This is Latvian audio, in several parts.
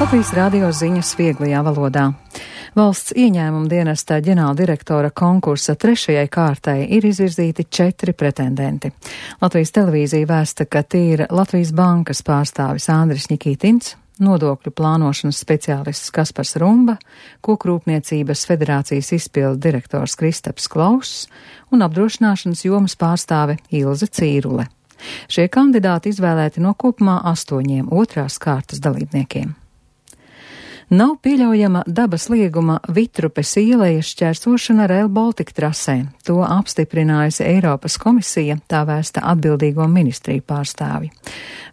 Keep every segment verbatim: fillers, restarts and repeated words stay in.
Latvijas radio ziņas vieglajā valodā. Valsts ieņēmuma dienesta ģenerāldirektora konkursa trešajai kārtai ir izvirzīti četri pretendenti. Latvijas televīzija vēsta, ka tie ir Latvijas bankas pārstāvis Andris Ņikītins, nodokļu plānošanas speciālists Kaspars Rumba, Kokrūpniecības federācijas izpildu direktors Kristaps Klauss un apdrošināšanas jomas pārstāve Ilze Cīrule. Šie kandidāti izvēlēti no kopumā astoņiem otrās kārtas dalībniekiem. Nav pieļaujama dabas lieguma Vitrupes ielejas šķērsošana Rail Baltica trasē. To apstiprinājusi Eiropas komisija, tā vēsta atbildīgo ministriju pārstāvi.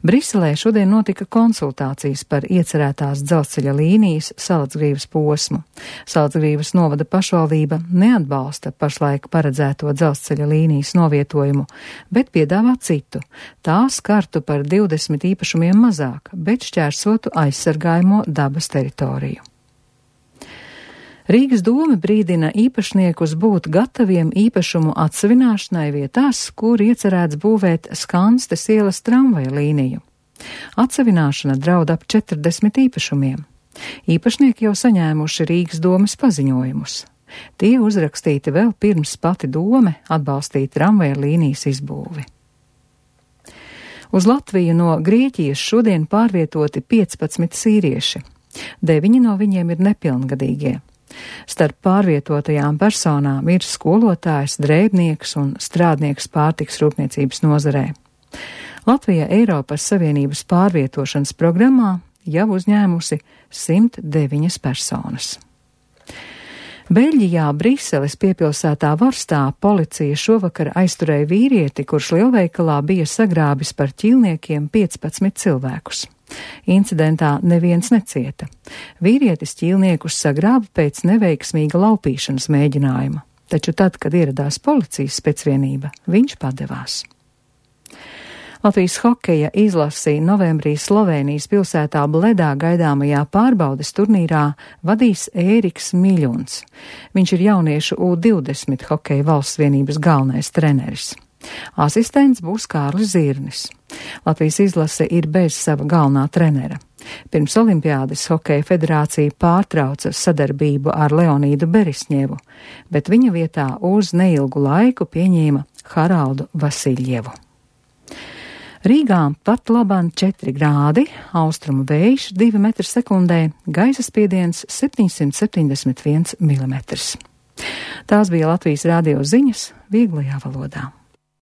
Briselē šodien notika konsultācijas par iecerētās dzelzceļa līnijas Salacgrīvas posmu. Salacgrīvas novada pašvaldība neatbalsta pašlaik paredzēto dzelzceļa līnijas novietojumu, bet piedāvā citu. Tā skartu par divdesmit īpašumiem mazāk, bet šķērsotu aizsargājamo dabas teritoriju. Rīgas doma brīdina īpašniekus būt gataviem īpašumu atsevināšanai vietās, kur iecerēts būvēt Skanstes ielas tramvaja līniju. Atsevināšana draud ap četrdesmit īpašumiem. Īpašnieki jau saņēmuši Rīgas domas paziņojumus. Tie uzrakstīti vēl pirms pati dome atbalstīja tramvaja līnijas izbūvi. Uz Latviju no Grieķijas šodien pārvietoti piecpadsmit sīrieši. Deviņi no viņiem ir nepilngadīgie. Starp pārvietotajām personām ir skolotājs, drēbnieks un strādnieks pārtiks rūpniecības nozarē. Latvija Eiropas Savienības pārvietošanas programmā jau uzņēmusi simt deviņas personas. Beļģijā Briseles piepilsētā Vorstā policija šovakar aizturēja vīrieti, kurš lielveikalā bija sagrābis par ķīlniekiem piecpadsmit cilvēkus. Incidentā neviens necieta. Vīrietis ķīlniekus sagrāba pēc neveiksmīga laupīšanas mēģinājuma, taču tad, kad ieradās policijas specvienība, viņš padevās. Latvijas hokeja izlasi novembrī Slovēnijas pilsētā Bledā gaidāmajā pārbaudes turnīrā vadīs Ēriks Miļuns. Viņš ir jauniešu U divdesmit hokeja valsts vienības galvenais treneris. Asistents būs Kārlis Zirnis. Latvijas izlase ir bez sava galvenā trenera. Pirms olimpiādes hokeja federācija pārtrauca sadarbību ar Leonīdu Berisņevu, bet viņa vietā uz neilgu laiku pieņēma Haraldu Vasiļjevu. Rīgā pat labāk četri grādi, austrumu vējš divi metri sekundē, gaisa spiediens septiņsimt septiņdesmit viens milimetrs. Tās bija Latvijas radio ziņas vieglajā valodā.